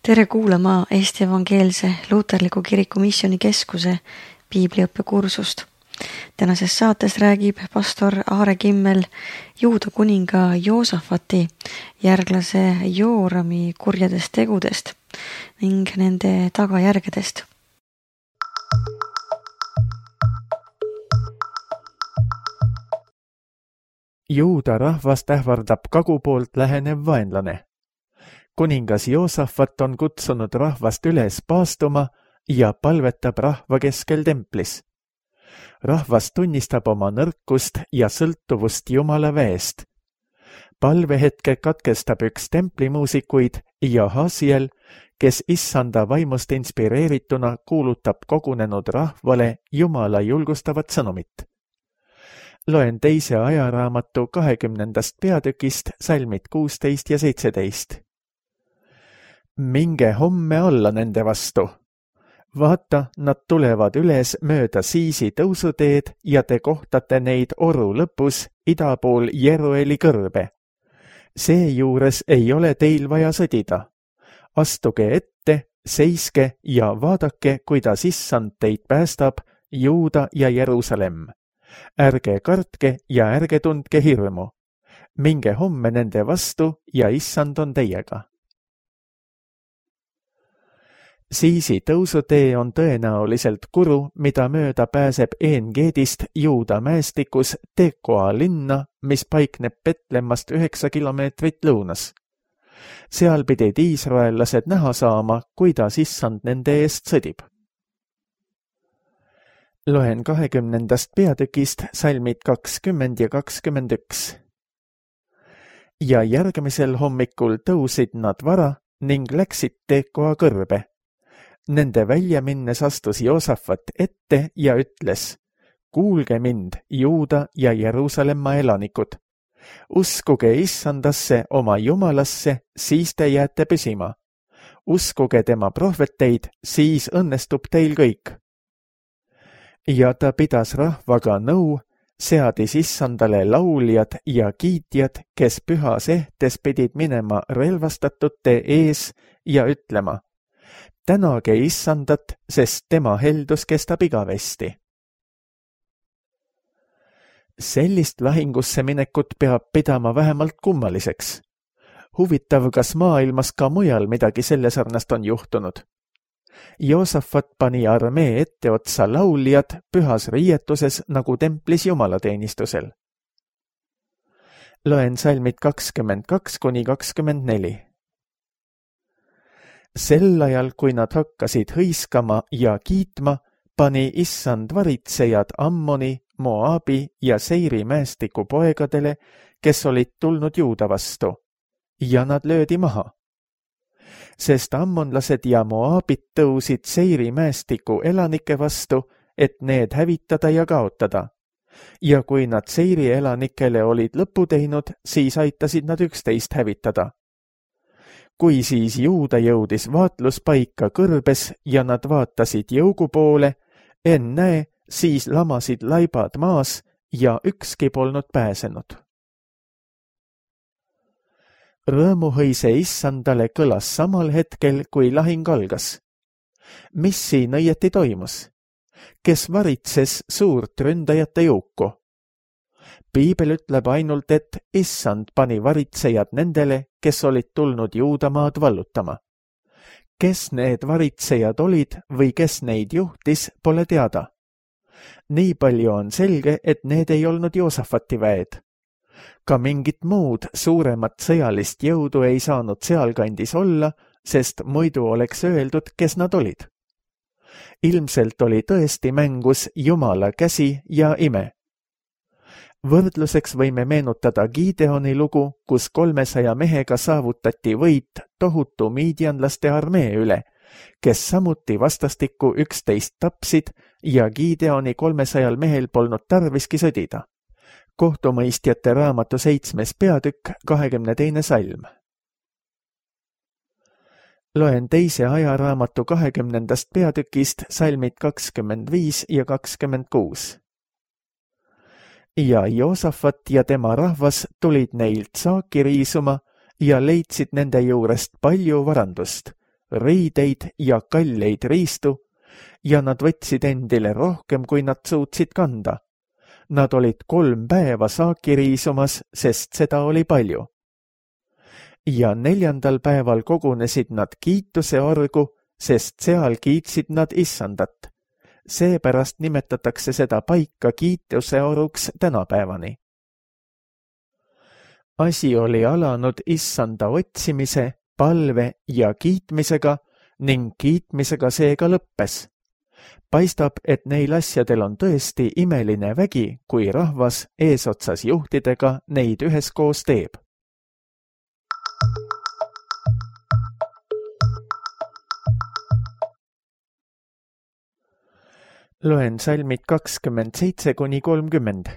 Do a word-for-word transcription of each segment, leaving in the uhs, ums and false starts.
Tere kuulama Eesti Evangeelse Luuterliku Kiriku Missioonikeskuse piibliõppekursust. Tänases saates räägib pastor Aare Kimmel Juuda kuninga Joosafati järglase Joorami kurjadest tegudest ning nende tagajärgedest. Juuda rahvast ähvardab kagu poolt lähenev vaenlane. Kuningas Joosafat on kutsunud rahvast üles paastuma ja palvetab rahva keskel templis. Rahvas tunnistab oma nõrkust ja sõltuvust Jumala väest. Palvehetke katkestab üks templimuusikuid ja Hasiel, kes issanda vaimust inspireerituna kuulutab kogunenud rahvale Jumala julgustavat sõnumit. Loen teise ajaraamatu kahekümnendast peatükist salmid kuusteist ja seitseteist. Minge homme alla nende vastu. Vaata, nad tulevad üles mööda Siisi tõusuteed ja te kohtate neid oru lõpus ida pool Jerueli kõrbe. Seejuures ei ole teil vaja sõdida. Astuge ette, seiske ja vaadake, kuidas issand teid päästab, Juuda ja Jerusalem. Ärge kartke ja ärge tundke hirmu. Minge homme nende vastu ja issand on teiega. Siisi tõusutee on tõenäoliselt kuru, mida mööda pääseb Een-Geedist Juuda mäestikus Tekoa linna, mis paikneb Betlemmast üheksa kilomeetrit lõunas. Seal pidid iisraellased näha saama, kuidas issand nende eest sõdib. Loen kahekümnendast peatükist salmid kakskümmend ja kakskümmend üks. Ja järgmisel hommikul tõusid nad vara ning läksid Tekoa kõrbe. Nende välja minnes astus Joosafat ette ja ütles, kuulge mind, Juuda ja Jeruusalemma elanikud. Uskuge issandasse oma Jumalasse, siis te jääte püsima. Uskuge tema prohveteid, siis õnnestub teil kõik. Ja ta pidas rahvaga nõu, seadis issandale lauljad ja kiitjad, kes pühas ehtes pidid minema relvastatute ees ja ütlema, tänage issandat, sest tema heldus kestab igavesti. Sellist lahingusse minekut peab pidama vähemalt kummaliseks. Huvitav, kas maailmas ka mujal midagi selle sarnast on juhtunud. Joosafat pani armee etteotsa lauljad pühas riietuses nagu templis jumalateenistusel. Loen salmid kakskümmend kaks kuni kakskümmend neli. Sel ajal, kui nad hakkasid hõiskama ja kiitma, pani issand varitsejad Ammoni, Moabi ja Seiri mäestiku poegadele, kes olid tulnud Juuda vastu, ja nad löödi maha. Sest ammonlased ja Moabid tõusid Seiri mäestiku elanike vastu, et need hävitada ja kaotada. Ja kui nad Seiri elanikele olid lõpu teinud, siis aitasid nad üksteist hävitada. Kui siis Juuda jõudis vaatluspaika kõrbes ja nad vaatasid jõugu poole, ennäe, siis lamasid laibad maas ja ükski polnud pääsenud. Rõõmuhõise issandale kõlas samal hetkel, kui lahing algas. Mis siin õieti toimus? Kes varitses suurt ründajate jõuku? Piibel ütleb ainult, et issand pani varitsejad nendele, kes olid tulnud Juudamaad vallutama. Kes need varitsejad olid või kes neid juhtis, pole teada. Nii palju on selge, et need ei olnud Joosafati väed. Ka mingit muud suuremat sõjalist jõudu ei saanud sealkandis olla, sest muidu oleks öeldud, kes nad olid. Ilmselt oli tõesti mängus Jumala käsi ja ime. Võrdluseks võime meenutada Gideoni lugu, kus kolmesaja mehega saavutati võit tohutu miidianlaste armee üle, kes samuti vastastikku üksteist tapsid ja Gideoni kolmesajal mehel polnud tarviski sõdida. Kohtumõistjate raamatu seitsmes peatükk, kahekümne teine salm. Loen teise ajaraamatu kahekümnendast peatükist salmid kakskümmend viis ja kakskümmend kuus. Ja Joosafat ja tema rahvas tulid neilt saaki riisuma ja leidsid nende juurest palju varandust, riideid ja kalleid riistu ja nad võtsid endile rohkem, kui nad suutsid kanda. Nad olid kolm päeva saaki riisumas, sest seda oli palju. Ja neljandal päeval kogunesid nad kiituse orgu, sest seal kiitsid nad issandat. Seepärast nimetatakse seda paika kiituse oruks tänapäevani. Asi oli alanud issanda otsimise, palve ja kiitmisega ning kiitmisega seega lõppes. Paistab, et neil asjadel on tõesti imeline vägi, kui rahvas eesotsas juhtidega neid üheskoos teeb. Loen salmid kakskümmend seitse kuni kolmkümmend.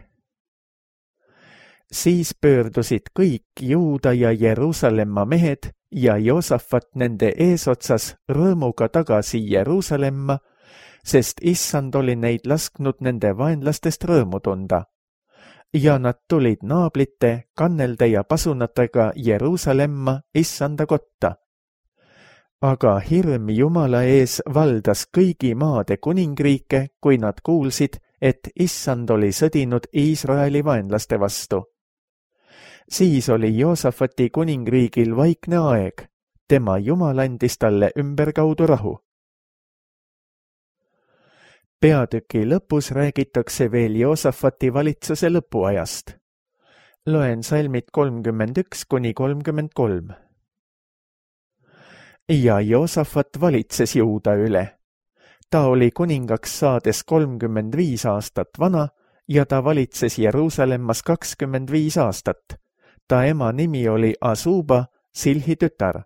Siis pöördusid kõik Juuda ja Jeruusalemma mehed ja Joosafat nende eesotsas rõõmuga tagasi Jeruusalemma, sest issand oli neid lasknud nende vaenlastest rõõmu tunda. Ja nad tulid naablite, kannelde ja pasunatega Jeruusalemma issanda kotta. Aga hirm Jumala ees valdas kõigi maade kuningriike, kui nad kuulsid, et issand oli sõdinud Iisraeli vaenlaste vastu. Siis oli Joosafati kuningriigil vaikne aeg, tema Jumal andis talle ümberkaudu rahu. Peatüki lõpus räägitakse veel Joosafati valitsuse lõpuajast. Loen salmid kolmkümmend üks kuni kolmkümmend kolm. Ja Joosafat valitses Juuda üle. Ta oli kuningaks saades kolmkümmend viis aastat vana ja ta valitses Jeruusalemmas kakskümmend viis aastat. Ta ema nimi oli Asuba, Silhi tütar.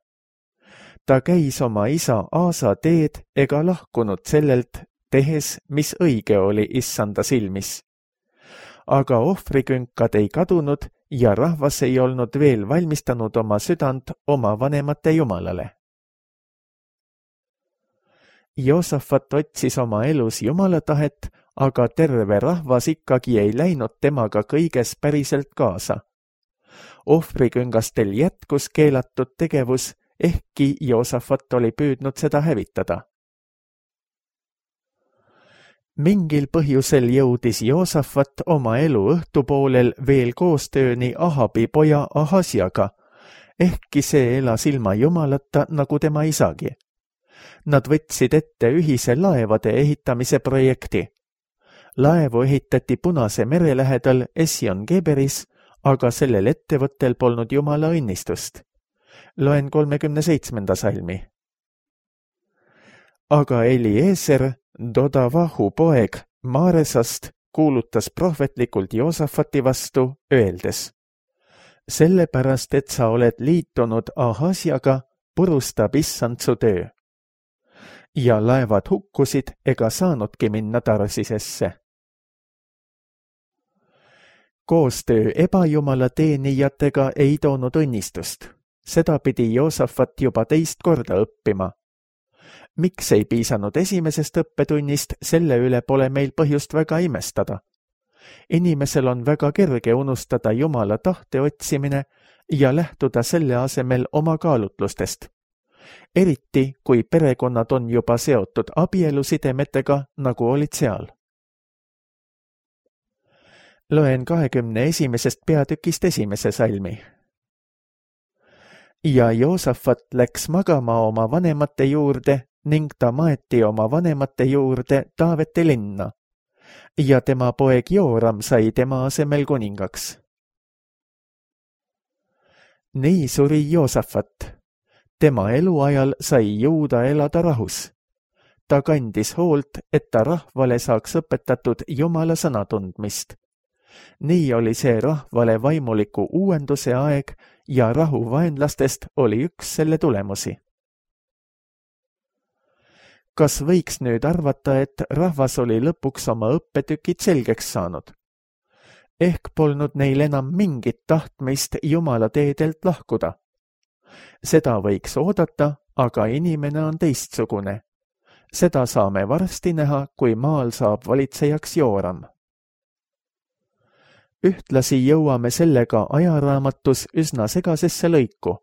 Ta käis oma isa Aasa teed ega lahkunud sellelt, tehes, mis õige oli issanda silmis. Aga ohvrikünkad ei kadunud ja rahvas ei olnud veel valmistanud oma südant oma vanemate jumalale. Joosafat otsis oma elus Jumala tahet, aga terve rahvas ikkagi ei läinud temaga kõiges päriselt kaasa. Ohvriküngastel jätkus keelatud tegevus, ehkki Joosafat oli püüdnud seda hävitada. Mingil põhjusel jõudis Joosafat oma elu õhtupoolel veel koostööni Ahabi poja Ahasiaga, ehkki see elas ilma Jumalata nagu tema isagi. Nad võtsid ette ühise laevade ehitamise projekti. Laevu ehitati Punase mere lähedal Esjon-Geberis, aga sellel ettevõttel polnud Jumala õnnistust. Loen kolmekümne seitsmenda salmi. Aga Eliezer, Dodavahu poeg Maaresast, kuulutas prohvetlikult Joosafati vastu, öeldes: Sellepärast, et sa oled liitunud Ahasiaga, purustab issand su töö. Ja laevad hukkusid ega saanudki minna Tarsisesse. Koostöö ebajumala teenijatega ei toonud õnnistust. Seda pidi Joosafat juba teist korda õppima. Miks ei piisanud esimesest õppetunnist, selle üle pole meil põhjust väga imestada. Inimesel on väga kerge unustada Jumala tahte otsimine ja lähtuda selle asemel oma kaalutlustest. Eriti, kui perekonnad on juba seotud abielusidemetega, nagu olid seal. Loen kahekümne esimesest peatükist esimese salmi. Ja Joosafat läks magama oma vanemate juurde ning ta maeti oma vanemate juurde Taavete linna. Ja tema poeg Jooram sai tema asemel kuningaks. Nii suri Joosafat. Tema eluajal sai Juuda elada rahus. Ta kandis hoolt, et ta rahvale saaks õpetatud Jumala sõna tundmist. Nii oli see rahvale vaimuliku uuenduse aeg ja rahu vaenlastest oli üks selle tulemusi. Kas võiks nüüd arvata, et rahvas oli lõpuks oma õppetükid selgeks saanud? Ehk polnud neil enam mingit tahtmist Jumala teedelt lahkuda. Seda võiks oodata, aga inimene on teistsugune. Seda saame varsti näha, kui maal saab valitsejaks Jooram. Ühtlasi jõuame sellega ajaraamatus üsna segasesse lõiku.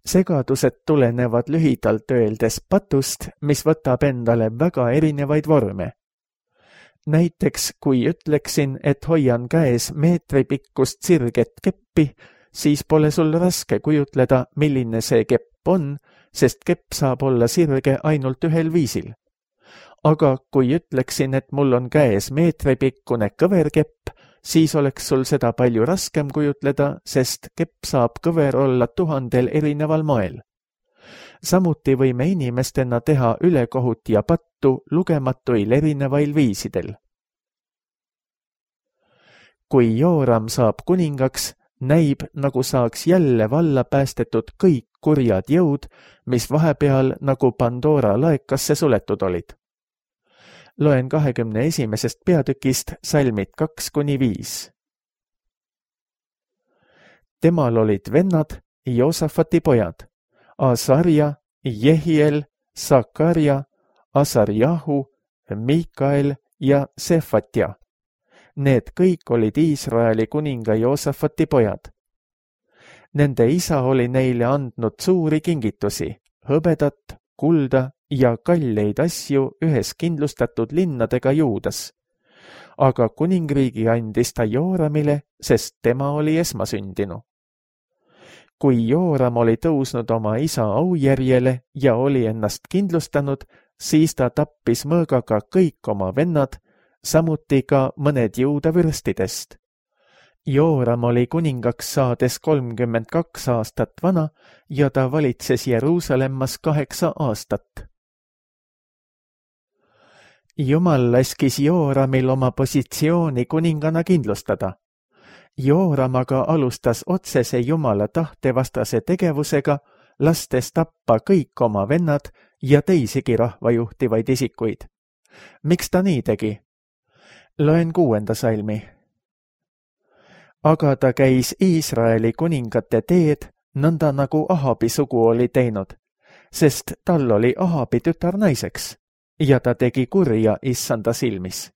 segadused tulenevad lühidalt öeldes patust, mis võtab endale väga erinevaid vorme. Näiteks, kui ütleksin, et hoian käes meetri pikkust sirget keppi, siis pole sul raske kujutleda, milline see kepp on, sest kepp saab olla sirge ainult ühel viisil. Aga kui ütleksin, et mul on käes meetripikkune kõverkepp, siis oleks sul seda palju raskem kujutleda, sest kepp saab kõver olla tuhandel erineval moel. Samuti võime inimestena teha ülekohut ja pattu lugematuil erinevail viisidel. Kui Jooram saab kuningaks, näib, nagu saaks jälle valla päästetud kõik kurjad jõud, mis vahepeal nagu Pandora laekasse suletud olid. Loen kahekümne esimesest peatükist salmid kaks kuni viis. Temal olid vennad, Joosafati pojad, Asarja, Jehiel, Sakarja, Asarjahu, Mikael ja Sefatja. Need kõik olid Iisraeli kuninga Joosafati pojad. Nende isa oli neile andnud suuri kingitusi, hõbedat, kulda ja kalleid asju ühes kindlustatud linnadega Juudas. Aga kuningriigi andis ta Jooramile, sest tema oli esmasündinu. Kui Jooram oli tõusnud oma isa aujärjele ja oli ennast kindlustanud, siis ta tappis mõõgaga kõik oma vennad, samuti ka mõned Juuda vürstidest. Jooram oli kuningaks saades kolmkümmend kaks aastat vana ja ta valitses Jeruusalemmas kaheksa aastat. Jumal laskis Jooramil oma positsiooni kuningana kindlustada. Jooram aga alustas otsese Jumala tahtevastase tegevusega, lastes tappa kõik oma vennad ja teisigi rahva juhtivaid isikuid. Miks ta nii tegi? Loen kuuenda salmi. Aga ta käis Iisraeli kuningate teed, nõnda nagu Ahabi sugu oli teinud, sest tal oli Ahabi tütar naiseks ja ta tegi kurja issanda silmis.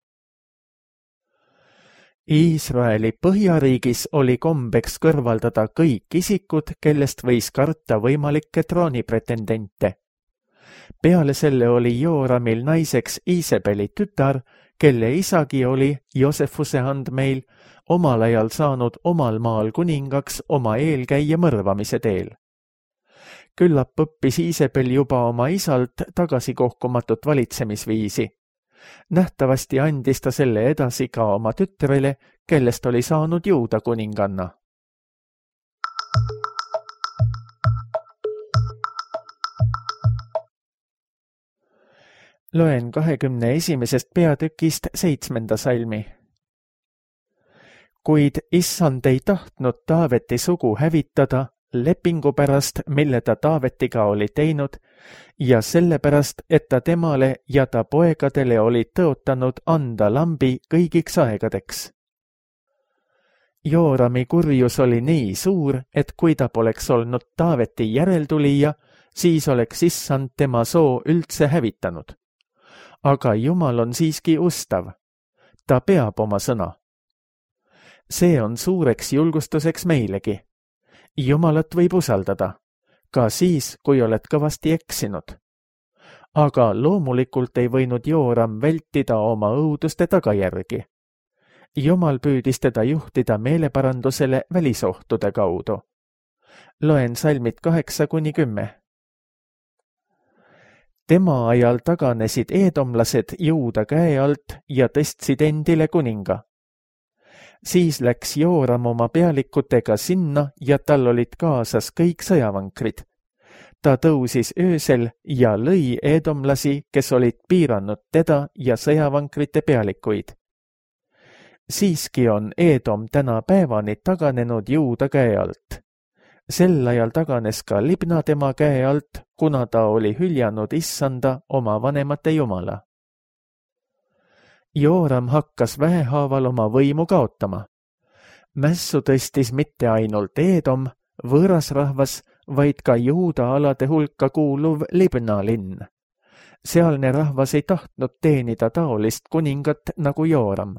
Iisraeli põhjariigis oli kombeks kõrvaldada kõik isikud, kellest võis karta võimalikke troonipretendente. Peale selle oli Jooramil naiseks Iisebeli tütar, kelle isagi oli Joosefuse andmeil omal ajal saanud omal maal kuningaks oma eelkäija mõrvamise teel. Küllap õppis Iisebel juba oma isalt tagasikohkumatut valitsemisviisi. Nähtavasti andis ta selle edasi ka oma tütrele, kellest oli saanud Juuda kuninganna. Loen kahekümne esimesest peatükist seitsmenda salmi. Kuid issand ei tahtnud Taaveti sugu hävitada lepingu pärast, mille ta Taavetiga oli teinud, ja sellepärast, et ta temale ja ta poegadele oli tõotanud anda lambi kõigiks aegadeks. Joorami kurjus oli nii suur, et kui ta poleks olnud Taaveti järeltulija, siis oleks issand tema soo üldse hävitanud. Aga Jumal on siiski ustav. Ta peab oma sõna. See on suureks julgustuseks meilegi. Jumalat võib usaldada, ka siis, kui oled kõvasti eksinud. Aga loomulikult ei võinud Jooram vältida oma õuduste tagajärgi. Jumal püüdis teda juhtida meeleparandusele välisohtude kaudu. Loen salmid kaheksa kuni kümme. Tema ajal taganesid eedomlased Juuda käe alt ja tõstsid endile kuninga. Siis läks Jooram oma pealikutega sinna ja tal olid kaasas kõik sõjavankrid. Ta tõusis öösel ja lõi eedomlasi, kes olid piiranud teda ja sõjavankrite pealikuid. Siiski on Eedom täna päevani taganenud Juuda käe alt. Sel ajal taganes ka Libna tema käe alt, kuna ta oli hüljanud issanda oma vanemate jumala. Jooram hakkas vähehaaval oma võimu kaotama. Mässu tõstis mitte ainult Eedom, võõras rahvas, vaid ka Juuda alade hulka kuuluv Libna linn. Sealne rahvas ei tahtnud teenida taolist kuningat nagu Jooram.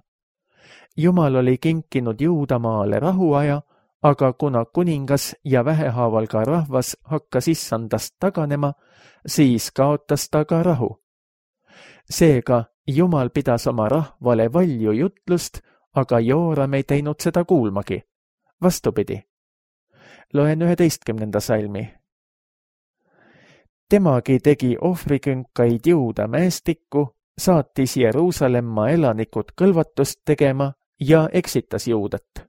Jumal oli kinkinud Juudamaale rahuaja, aga kuna kuningas ja vähehaaval ka rahvas hakkas issandast taganema, siis kaotas ta ka rahu. Seega Jumal pidas oma rahvale valju jutlust, aga Jooram ei teinud seda kuulmagi. Vastupidi. Loen üheteistkümnenda salmi. Temagi tegi ohvrikünkaid Juuda mäestikku, saatis Jeruusalemma elanikud kõlvatust tegema ja eksitas Juudat.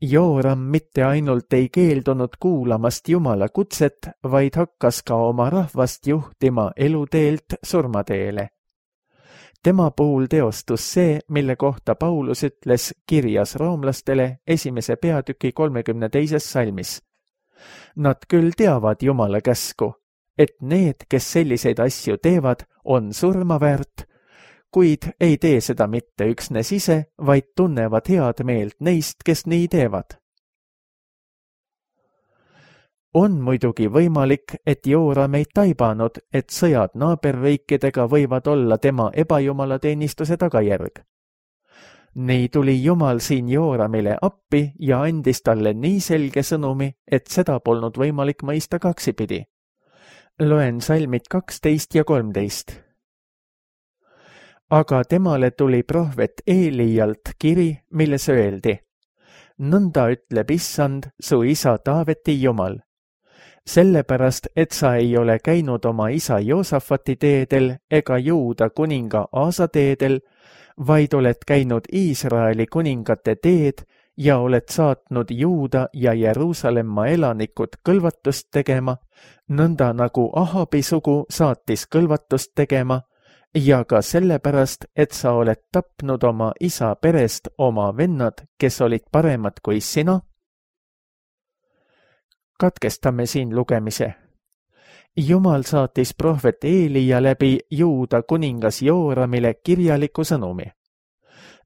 Jooram mitte ainult ei keeldunud kuulamast Jumala kutset, vaid hakkas ka oma rahvast juhtima eluteelt surmateele. Tema puhul teostus see, mille kohta Paulus ütles kirjas roomlastele esimese peatüki kolmekümne teises salmis. Nad küll teavad Jumala käsku, et need, kes selliseid asju teevad, on surma väärt, kuid ei tee seda mitte üksnes ise, vaid tunnevad head meelt neist, kes nii teevad. On muidugi võimalik, et Jooram ei taibanud, et sõjad naaberriikidega võivad olla tema ebajumalateenistuse tagajärg. Nii tuli Jumal siin Jooramile appi ja andis talle nii selge sõnumi, et seda polnud võimalik mõista kaksipidi. Loen salmid kaksteist ja kolmteist. Aga temale tuli prohvet Eelijalt kiri, milles öeldi: Nõnda ütleb issand, su isa Taaveti Jumal. Sellepärast, et sa ei ole käinud oma isa Joosafati teedel ega Juuda kuninga Aasa teedel, vaid oled käinud Iisraeli kuningate teed ja oled saatnud Juuda ja Jeruusalemma elanikud kõlvatust tegema, nõnda nagu Ahabi sugu saatis kõlvatust tegema, ja ka sellepärast, et sa oled tapnud oma isa perest oma vennad, kes olid paremad kui sina. Katkestame siin lugemise. Jumal saatis prohvet Eelija läbi Juuda kuningas Jooramile kirjaliku sõnumi.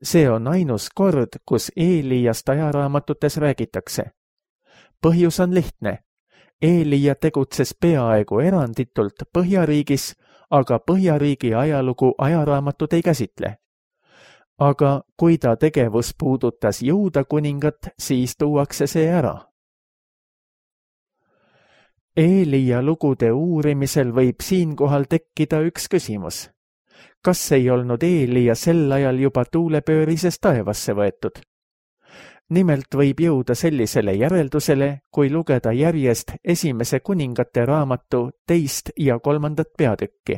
See on ainus kord, kus Eelijast ajaraamatutes räägitakse. Põhjus on lihtne. Eelija tegutses peaaegu eranditult Põhjariigis, aga Põhjariigi ajalugu ajaraamatut ei käsitle. Aga kui ta tegevus puudutas Juuda kuningat, siis tuuakse see ära. Eelija lugude uurimisel võib siinkohal tekkida üks küsimus. Kas ei olnud Eelija sel ajal juba tuulepöörises taevasse võetud? Nimelt võib jõuda sellisele järeldusele, kui lugeda järjest esimese kuningate raamatu teist ja kolmandat peatükki.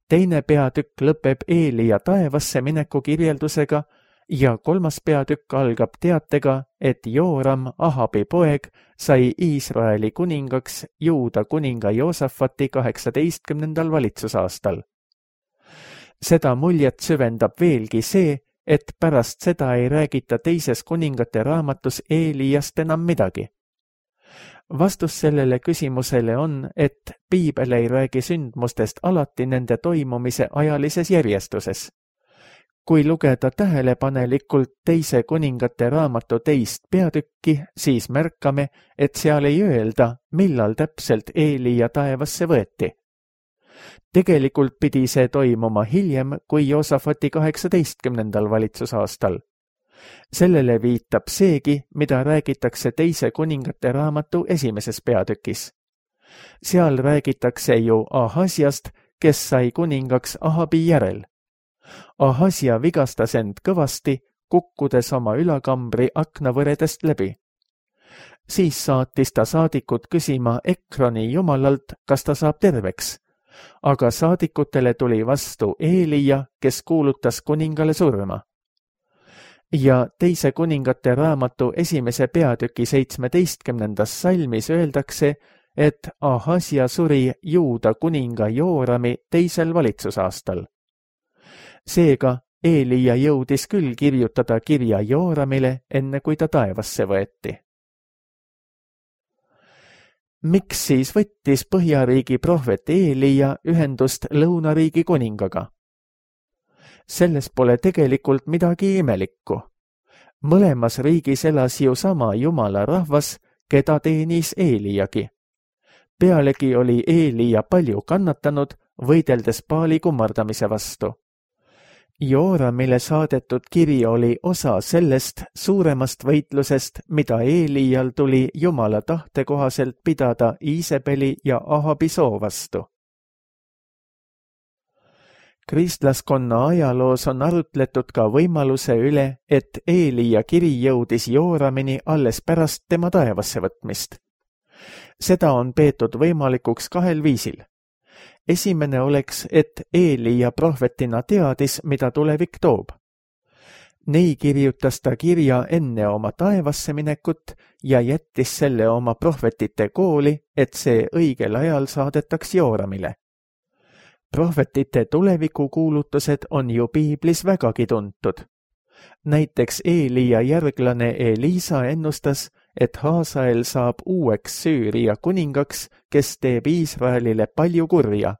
Teine peatükk lõpeb Eelija taevasse mineku kirjeldusega ja kolmas peatükk algab teatega, et Jooram, Ahabi poeg, sai Iisraeli kuningaks Juuda kuninga Joosafati kaheksateistkümnendal valitsusaastal. Seda muljet süvendab veelgi see, et pärast seda ei räägita teises kuningate raamatus Eelijast enam midagi. Vastus sellele küsimusele on, et piibel ei räägi sündmustest alati nende toimumise ajalises järjestuses. Kui lugeda tähelepanelikult teise kuningate raamatu teist peatükki, siis märkame, et seal ei öelda, millal täpselt Eelija taevasse võeti. Tegelikult pidi see toimuma hiljem kui Joosafati kaheksateistkümnendal valitsusaastal. Sellele viitab seegi, mida räägitakse teise kuningate raamatu esimeses peatükis. Seal räägitakse ju Ahasjast, kes sai kuningaks Ahabi järel. Ahasja vigastas end kõvasti, kukkudes oma ülakambri aknavõredest läbi. Siis saatis ta saadikud küsima Ekroni jumalalt, kas ta saab terveks. Aga saadikutele tuli vastu Eelija, kes kuulutas kuningale surma. Ja teise kuningate raamatu esimese peatüki seitsmeteistkümnendas salmis öeldakse, et Ahasja suri Juuda kuninga Joorami teisel valitsusaastal. Seega Eelija jõudis küll kirjutada kirja Jooramile, enne kui ta taevasse võeti. Miks siis võttis Põhjariigi prohvet Eelija ühendust Lõunariigi kuningaga? Selles pole tegelikult midagi imelikku. Mõlemas riigis elas ju sama Jumala rahvas, keda teenis Eelijagi. Pealegi oli Eelija palju kannatanud, võideldes Baali kummardamise vastu. Jooramile saadetud kiri oli osa sellest suuremast võitlusest, mida Eelial tuli Jumala tahte kohaselt pidada Iisebeli ja Ahabi soo vastu. Kristlaskonna ajaloos on arutletud ka võimaluse üle, et Eelia kiri jõudis Jooramini alles pärast tema taevasse võtmist. Seda on peetud võimalikuks kahel viisil. Esimene oleks, et Eelia prohvetina teadis, mida tulevik toob. Nii kirjutas ta kirja enne oma taevasse minekut ja jättis selle oma prohvetite kooli, et see õigel ajal saadetaks Jooramile. Prohvetite tulevikukuulutused on ju piiblis vägagi tuntud. Näiteks Eelia järglane Elisa ennustas, et Haasael saab uueks Süüria kuningaks, kes teeb Iisraelile palju kurja.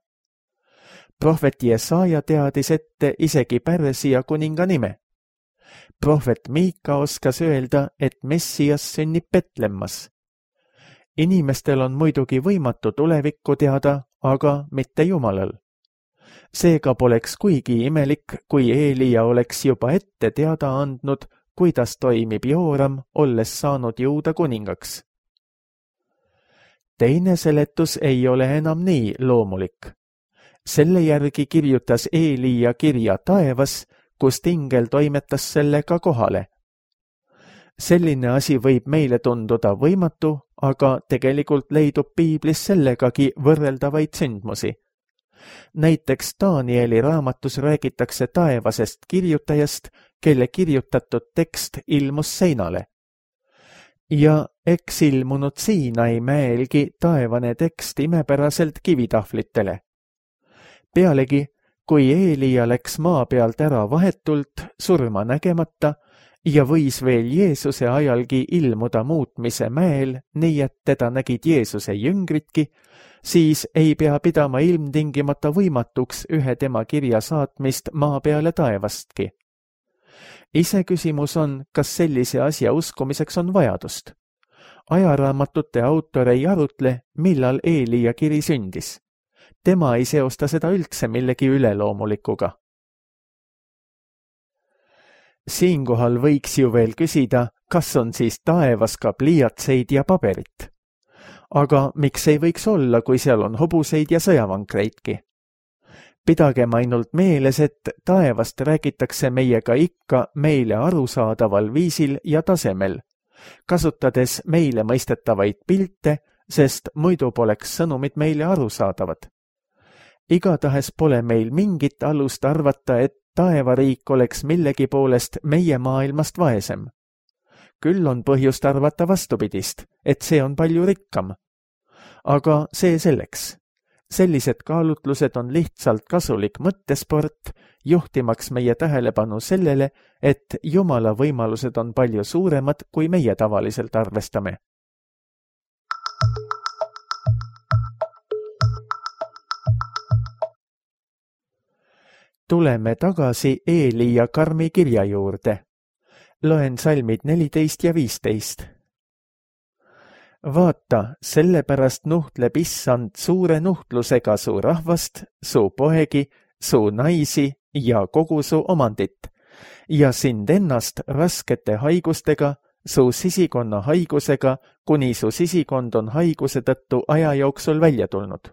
Prohvet Jesaja teadis ette isegi Pärsia kuninga nime. Prohvet Miika oskas öelda, et Messias sünnib Betlemmas. Inimestel on muidugi võimatu tulevikku teada, aga mitte Jumalal. Seega poleks kuigi imelik, kui Eelia oleks juba ette teada andnud, kuidas toimib Jooram, olles saanud Juuda kuningaks. Teine seletus ei ole enam nii loomulik. Selle järgi kirjutas Eelia kirja taevas, kust ingel toimetas selle ka kohale. Selline asi võib meile tunduda võimatu, aga tegelikult leidub piiblis sellegagi võrreldavaid sündmusi. Näiteks Danieli raamatus räägitakse taevasest kirjutajast, kelle kirjutatud tekst ilmus seinale. Ja eks ilmunud Siinai mäelgi taevane tekst imepäraselt kivitahvlitele. Pealegi, kui Eelia läks maa pealt ära vahetult, surma nägemata, ja võis veel Jeesuse ajalgi ilmuda muutmise mäel, nii et teda nägid Jeesuse jüngritki, siis ei pea pidama ilmtingimata võimatuks ühe tema kirja saatmist maa peale taevastki. Iseküsimus on, kas sellise asja uskumiseks on vajadust. Ajaraamatute autor ei arutle, millal Eelia kiri sündis. Tema ei seosta seda üldse millegi üleloomulikuga. Siinkohal võiks ju veel küsida, kas on siis taevas ka pliiatseid ja paberit. Aga miks ei võiks olla, kui seal on hobuseid ja sõjavankreidki? Pidagem ainult meeles, et taevast räägitakse meiega ikka meile arusaadaval viisil ja tasemel, kasutades meile mõistetavaid pilte, sest muidu poleks sõnumid meile arusaadavad. Igatahes pole meil mingit alust arvata, et taevariik oleks millegi poolest meie maailmast vaesem. Küll on põhjust arvata vastupidist, et see on palju rikkam. Aga see selleks. Sellised kaalutlused on lihtsalt kasulik mõttesport, juhtimaks meie tähelepanu sellele, et Jumala võimalused on palju suuremad, kui meie tavaliselt arvestame. Tuleme tagasi Eelia karmi kirja juurde. Loen salmid neliteist ja viisteist. Vaata, sellepärast nuhtleb issand suure nuhtlusega su rahvast, su poegi, su naisi ja kogu su omandit, ja sind ennast raskete haigustega, su sisikonna haigusega, kuni su sisikond on haiguse tõttu aja jooksul välja tulnud.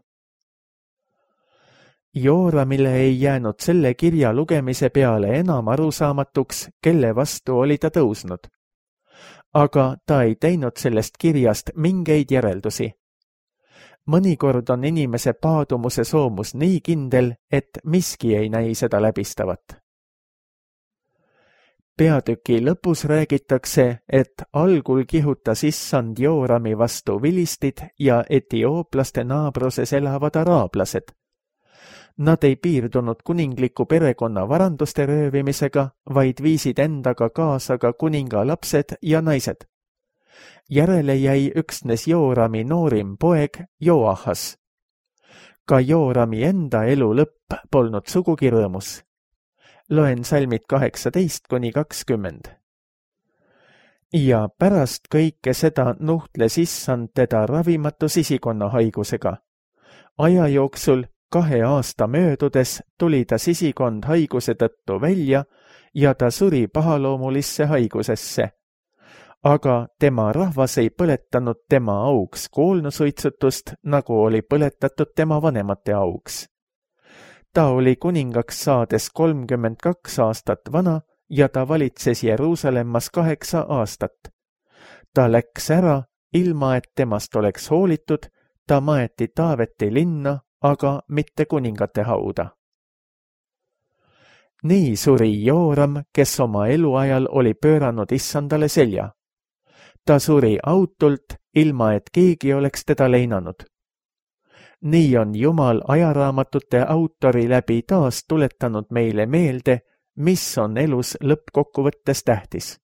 Jooramile ei jäänud selle kirja lugemise peale enam arusaamatuks, kelle vastu oli ta tõusnud. Aga ta ei teinud sellest kirjast mingeid järeldusi. Mõnikord on inimese paadumuse soomus nii kindel, et miski ei näi seda läbistavat. Peatüki lõpus räägitakse, et algul kihutas issand Joorami vastu vilistid ja etiooplaste naabruses elavad araablased. Nad ei piirdunud kuningliku perekonna varanduste röövimisega, vaid viisid endaga kaasa ka kuninga lapsed ja naised. Järele jäi üksnes Joorami noorim poeg Joahas. Ka Joorami enda elu lõpp polnud sugugi rõõmus. Loen salmid kaheksateist kuni kakskümmend. Ja pärast kõike seda nuhtles issand teda ravimatu sisikonna haigusega. Aja jooksul, kahe aasta möödudes tuli ta sisikond haiguse tõttu välja ja ta suri pahaloomulisse haigusesse. Aga tema rahvas ei põletanud tema auks koolnusuitsutust, nagu oli põletatud tema vanemate auks. Ta oli kuningaks saades kolmkümmend kaks aastat vana ja ta valitses Jeruusalemmas kaheksa aastat. Ta läks ära, ilma et temast oleks hoolitud, ta maeti Taaveti linna, aga mitte kuningate hauda. Nii suri Jooram, kes oma eluajal oli pööranud issandale selja. Ta suri autult, ilma et keegi oleks teda leinanud. Nii on Jumal ajaraamatute autori läbi taas tuletanud meile meelde, mis on elus lõppkokkuvõttes tähtis.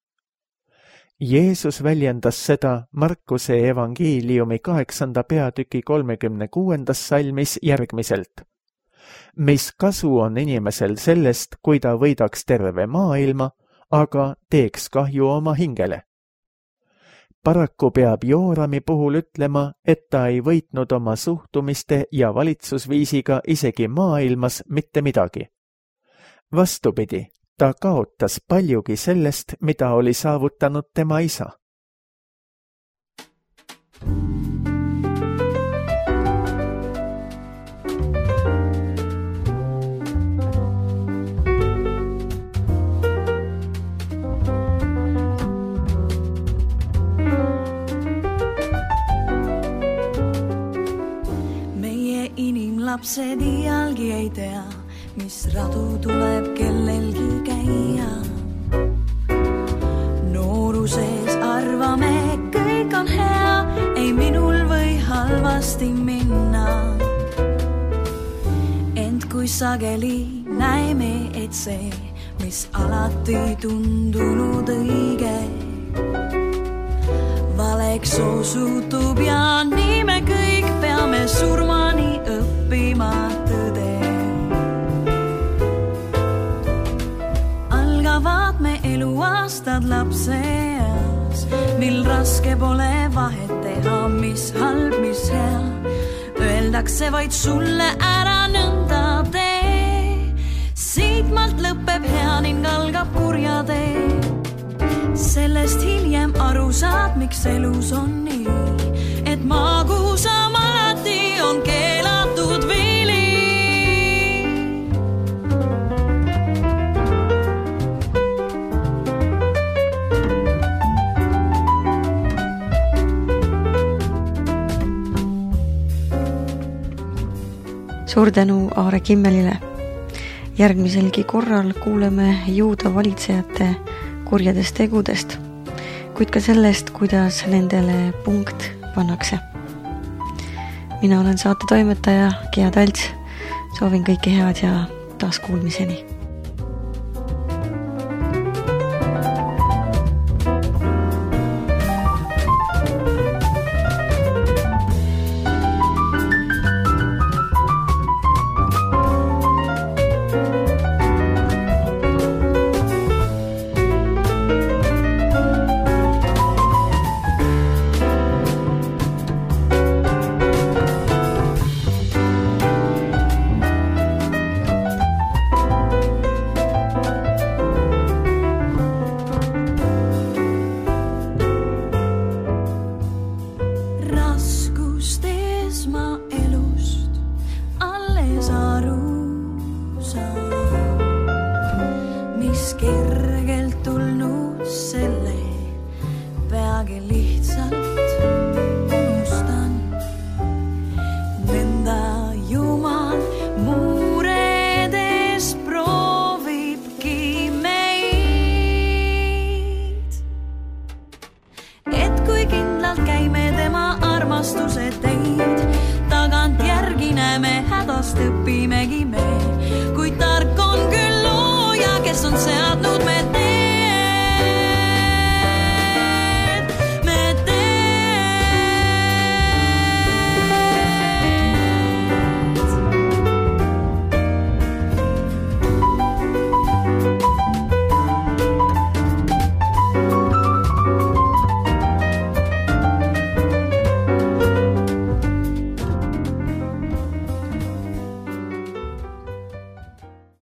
Jeesus väljendas seda Markuse evangeeliumi kaheksanda peatüki kolmekümne kuuendas salmis järgmiselt. Mis kasu on inimesel sellest, kui ta võidaks terve maailma, aga teeks kahju oma hingele? Paraku peab Joorami puhul ütlema, et ta ei võitnud oma suhtumiste ja valitsusviisiga isegi maailmas mitte midagi. Vastupidi, ta kaotas paljugi sellest, mida oli saavutanud tema isa. Meie inimlapsed iialgi ei tea, mis radu tuleb kellelgi käia. Nooruses arvame, kõik on hea, ei minul või halvasti minna. Ent kui sageli näeme, et see, mis alati tundunud õige, valeks osutub ja nii me kõik peame surmani õppima tõde. Algavad me eluaastad lapseas, mil raske pole vahet teha, mis halb, mis hea. Öeldakse vaid sulle ära nõnda tee, siitmalt lõpeb hea ning algab kurja tee. Sellest hiljem aru saad, miks elus on nii, et maagusam alati on keelatud vili. Suur tänu Aare Kimmelile. Järgmiselgi korral kuuleme juuda valitsejate kurjadest tegudest, kuid ka sellest, kuidas nendele punkt pannakse. Mina olen saate toimetaja Gea Talts. Soovin kõike head ja taas kuulmiseni. Õpimegi me, kui tark on küll looja, kes on see